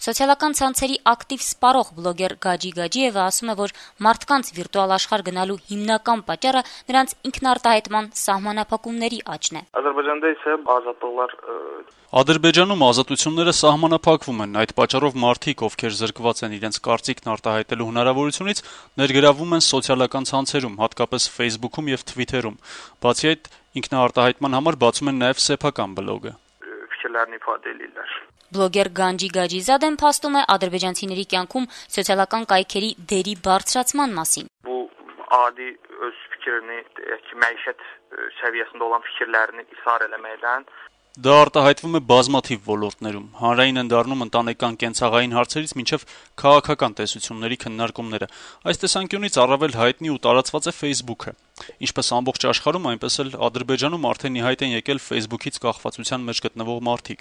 Սոցիալական ցանցերի ակտիվ սպառող բլոգեր Գաջի Գաջիևը ասում է, որ մարդկանց վիրտուալ աշխարհ գնալու հիմնական պատճառը նրանց ինքնարտահայտման սահմանափակումների աճն է։ Ադրբեջանում ազատությունները սահմանափակվում են, այդ պատճառով մարդիկ, ովքեր զրկված են իրենց կարծիքն արտահայտելու հնարավորությունից, ներգրավվում են սոցիալական ցանցերում, հատկապես Facebook-ում եւ Twitter-ում։ Բացի այդ, ինքնարտահայտման համար բացում են նաեւ սեփական բլոգը։ Բլոգեր Գանջի Գաջիզադեն փաստում է ադրբեջանցիների կյանքում սոցիալական կայքերի դերի բարձրացման մասին։ Adi öz fikrini, məişət səviyyəsində olan fikirlərini isar eləməkdən Դա արտահայտվում է բազմաթիվ ոլորտներում, հանրային են դառնում ընտանեկան կենցաղային հարցերից մինչև քաղաքական տեսությունների քննարկումները։ Այս տեսանկյունից առավել հայտնի ու տարածված է Facebook-ը։ Ինչպես ամբողջ աշխարհում, այնպես էլ Ադրբեջանում արդեն ի հայտ են եկել Facebook-ից կախվածության մեջ գտնվող մարդիկ։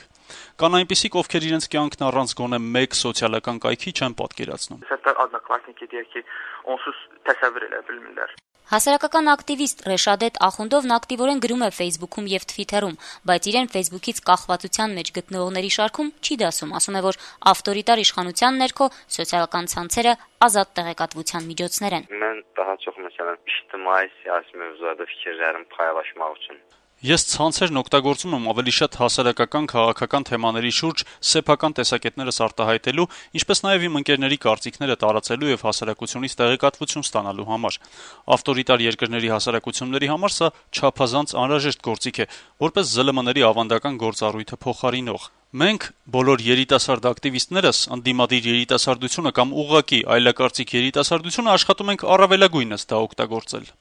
Կան այնպիսիք, ովքեր իրենց կյանքն առանց գոնե մեկ սոցիալական կայքի չեն պատկերացնում։ Հասարակական ակտիվիստ Ռեշադետ Ախունդովն ակտիվորեն գրում է Facebook-ում եւ Twitter-ում, բայց իրեն Facebook-ից կախվածության մեջ գտնվողների շարքում չի դասում, ասում է, որ ավտորիտար իշխանության ներքո սոցիալական ցանցերը ազատ տեղեկատվության միջոցներ են։ Mən daha çox məsələn ictimai siyasi mövzularda fikirlərimi paylaşmaq üçün Ես ցանցերն օգտագործում եմ ավելի շատ հասարակական քաղաքական թեմաների շուրջ սեփական տեսակետներս արտահայտելու, ինչպես նաև իմ ընկերների կարծիքները տարածելու եւ հասարակությունից տեղեկատվություն ստանալու համար։ Ավտորիտար երկրների հասարակությունների համար սա չափազանց անհրաժեշտ գործիք է, որպես ԶԼՄ-ների ավանդական գործառույթը փոխարինող։ Մենք բոլոր երիտասարդ ակտիվիստներս ընդդիմադիր երիտասարդությունը կամ ուղղակի այլակարծիք երիտասարդությունը աշխատում ենք առավելագույնս դա օգտագործել։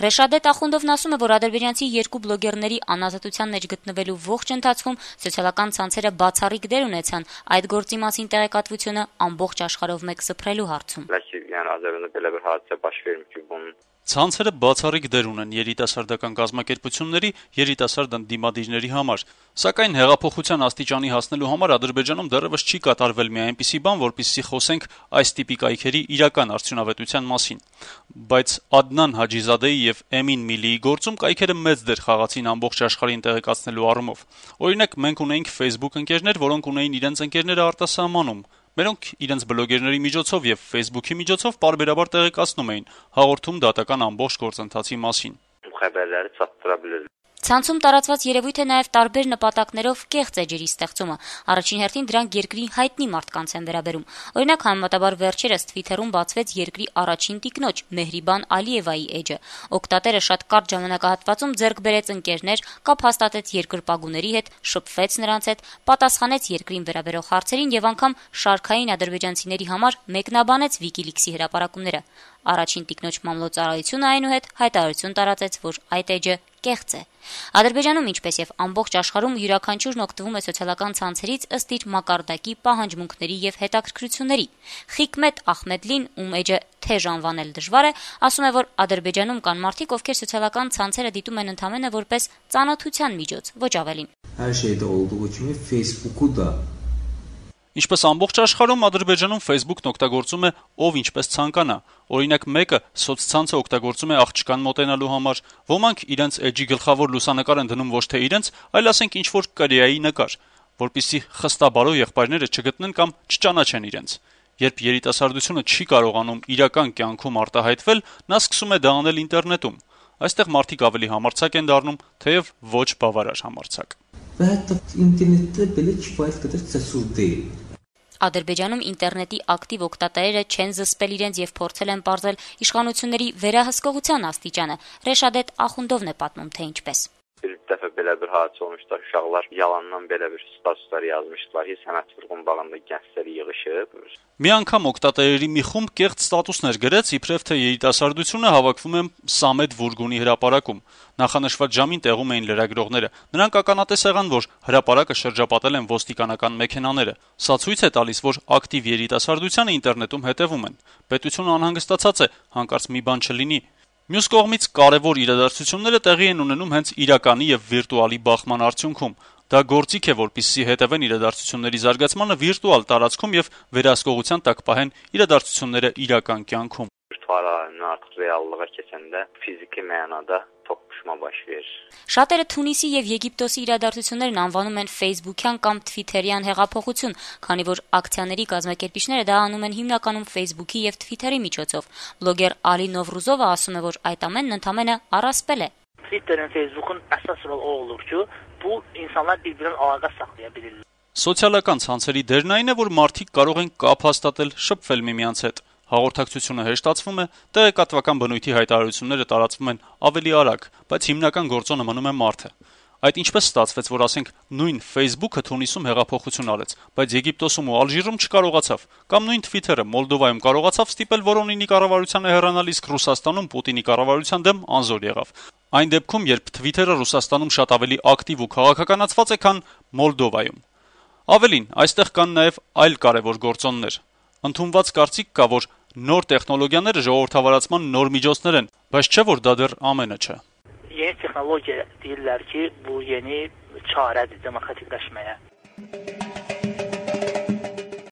Ռեշադետ Ախունդովն ասում է, որ ադրբեջանցի երկու բլոգերների անազատության մեջ գտնվելու ողջ ընթացքում սոցիալական ցանցերը բացառիկ դեր ունեցան այդ գործի մասին տեղեկատվությունը ամբողջ աշխարհով մեկ սփռելու հարցում։ Ցանցերը բացառիկ դեր ունեն երիտասարդական կազմակերպությունների, երիտասարդ ընդդիմադիրների համար, սակայն հեղափոխության աստիճանի հասնելու համար Ադրբեջանում դեռևս չի կատարվել մի այնպիսի բան, որպեսզի խոսենք այս տիպի կայքերի իրական արդյունավետության մասին։ Բայց Ադնան Հաջիզադեի եւ Էմին Միլիի գործում կայքերը մեծ դեր խաղացին ամբողջ աշխարհին տեղեկացնելու առումով։ Օրինակ, մենք ունեինք Facebook ընկերներ, որոնք ունեին իրենց ընկերները արտասահմանում, մերոնք իրենց բլոգերների միջոցով եւ Facebook-ի միջոցով պարբերաբար տեղեկացնում էին, հաղորդում դատական ամբողջ գործընթացի մասին։ Ցանցում տարածված երևույթ է նաև տարբեր նպատակներով կեղծ էջերի ստեղծումը։ Առաջին հերթին դրանք երկրի հայտնի մարդկանց են վերաբերում։ Օրինակ, համեմատաբար վերջերս Twitter-ում բացվեց երկրի առաջին տիկնոջ Մեհրիբան Ալիևայի էջը։ Օգտատերը շատ կարճ ժամանակահատվածում ձեռք բերեց ընկերներ, կապ հաստատեց երկրպագուների հետ, շփվեց նրանց հետ, պատասխանեց երկրին վերաբերող հարցերին եւ անգամ շարքային ադրբեջանցիների համար մեկնաբանեց WikiLeaks-ի հրապարակումները։ Առաջին տիկնոջ մամլոյցարայությունը այնուհետ հայտարարություն տարածեց, որ այդ էջը կեղծ է։ Ադրբեջանում, ինչպես եւ ամբողջ աշխարհում, յուրաքանչյուրն օգտվում է սոցիալական ցանցերից ըստ իր մակարդակի, պահանջմունքների եւ հետաքրքրությունների։ Խիկմետ Ախմեդլին, ում էջը թեժ անվանել դժվար է, ասում է, որ Ադրբեջանում կան մարդիկ, ովքեր սոցիալական ցանցերը դիտում են ընդհանրապես որպես ծանոթության միջոց, ոչ ավելին։ Ինչպես ամբողջ աշխարհում, Ադրբեջանում Facebook-ն օգտագործում է ով ինչպես ցանկանա։ Օրինակ, մեկը սոցցանցը օգտագործում է աղջկան մոտենալու համար, ոմանք իրենց էջի գլխավոր լուսանկար են դնում ոչ թե իրենց, այլ ասենք ինչ-որ Կորեայի նկար, որպեսզի խստաբարո եղբայրները չգտնեն կամ չճանաչեն իրենց։ Երբ երիտասարդությունը չի կարողանում իրական կյանքում արտահայտվել, նա սկսում է դա անել ինտերնետում։ Այստեղ մարդիկ ավելի համարձակ են դառնում, թեև ոչ բավարար համարձակ։ Ադրբեջանում ինտերնետի ակտիվ օգտատերերը չեն զսպել իրենց եւ փորձել են պարզել իշխանությունների վերահսկողության աստիճանը։ Ռեշադետ Ախունդովն է պատմում, թե ինչպես։ dəfə belə bir hadisə olmuşdu. Uşaqlar yalandan belə bir statuslar yazmışdılar ki, sənət vurğun bağında gənclər yığışıb. Մի անգամ օգտատերերի մի խումբ կեղծ ստատուսներ գրեց, իբրև թե երիտասարդությունը հավաքվում է Սամեդ Վուրգունի հրապարակում։ Նախանշված ժամին տեղում էին լրագրողները։ Նրանք ականատես եղան, որ հրապարակը շրջապատել են ոստիկանական մեքենաները։ Սա ցույց է տալիս, որ ակտիվ երիտասարդությանը ինտերնետում հետևում են։ Պետությունը անհանգստացած է, հանկարծ մի բան չլինի։ Մյուս կողմից կարևոր իրադարձությունները տեղի են ունենում հենց իրականի եւ վիրտուալի բախման արդյունքում։ Դա գործիք է, որպեսզի հետևեն իրադարձությունների զարգացմանը վիրտուալ տարածքում եւ վերահսկողության տակ պահեն իրադարձությունները իրական կյանքում։ virtual aləmdən artıq reallığa keçəndə fiziki mənada toqquşma baş verir. Շատերը Թունիսի եւ Եգիպտոսի իրադարձություններն անվանում են Facebook-յան կամ Twitter-յան հեղափոխություն, քանի որ ակցիաների կազմակերպիչները դա անում են հիմնականում Facebook-ի եւ Twitter-ի միջոցով։ Բլոգեր Ալի Նովրուզովը ասում է, որ այդ ամենն ընդամենը առասպել է։ Twitter'ın, Facebook'un əsas rol o olur ki, bu insanlar bir-birinin əlaqə saxlaya bilirlər. Սոցիալական ցանցերի դերն այն է, որ մարդիկ կարող են կապ հաստատել, շփվել միմյանց հետ։ Հաղորդակցությունը հեշտացվում է, տեղեկատվական բնույթի հայտարարությունները տարածվում են ավելի արագ, բայց հիմնական գործոնը մնում է մարդը։ Այդ ինչպես ստացվեց, որ ասենք նույն Facebook-ը Թունիսում հեղափոխություն արեց, բայց Եգիպտոսում ու Ալժիրում չկարողացավ, կամ նույն Twitter-ը Մոլդովայում կարողացավ ստիպել Վորոնինի կառավարությանը հեռանալ, իսկ Ռուսաստանում Պուտինի կառավարության դեմ անզոր եղավ։ Այն դեպքում, երբ Twitter-ը Ռուսաստանում շատ ավելի ակտիվ ու քաղաքականացված է, քան Մոլդովայում։ Ավելին, այստեղ կան նաև այլ կարևոր գործոններ։ Ընդունված կարծիք կա, որ նոր տեխնոլոգիաները ժողովրդավարացման նոր միջոցներ են, բայց չէ որ դա դեռ ամենը չէ։ Yeni texnologiya deyirlər ki, bu yeni çarədir demokratikləşməyə.